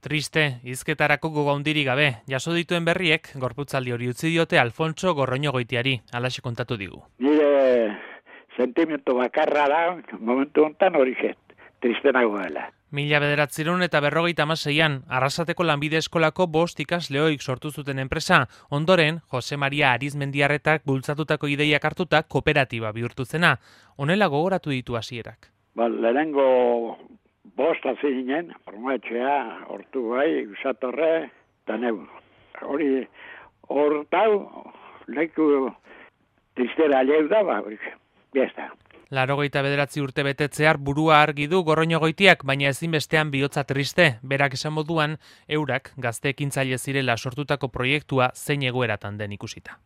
Triste, hizketarako gogo handirik gabe, jaso dituen berriek, gorputzaldi hori utzi diote Alfonso Gorroñogoitiari, halaxe kontatu digu. Nire sentimentu bakarra da, momentu honetan hori triste nagoela. 1956an, Arrasateko Lanbide Eskolako 5 ikasleoik sortu zuten enpresa, ondoren, Jose Maria Arizmendiarretak bultzatutako ideiak hartuta kooperatiba bihurtu zena. Honela gogoratu ditu hasierak. Lehenengo 5 hasi ginen, formatxea, hortu bai, usatorre, eta neu. Hori, hortau, leku tristera leu da, biesta. 89 urte betetzear burua argi du Gorroñogoitiak, baina ezinbestean bihotza triste, berak esan moduan, eurak gazte ekintzaile zirela sortutako proiektua zein egoeratan den ikusita.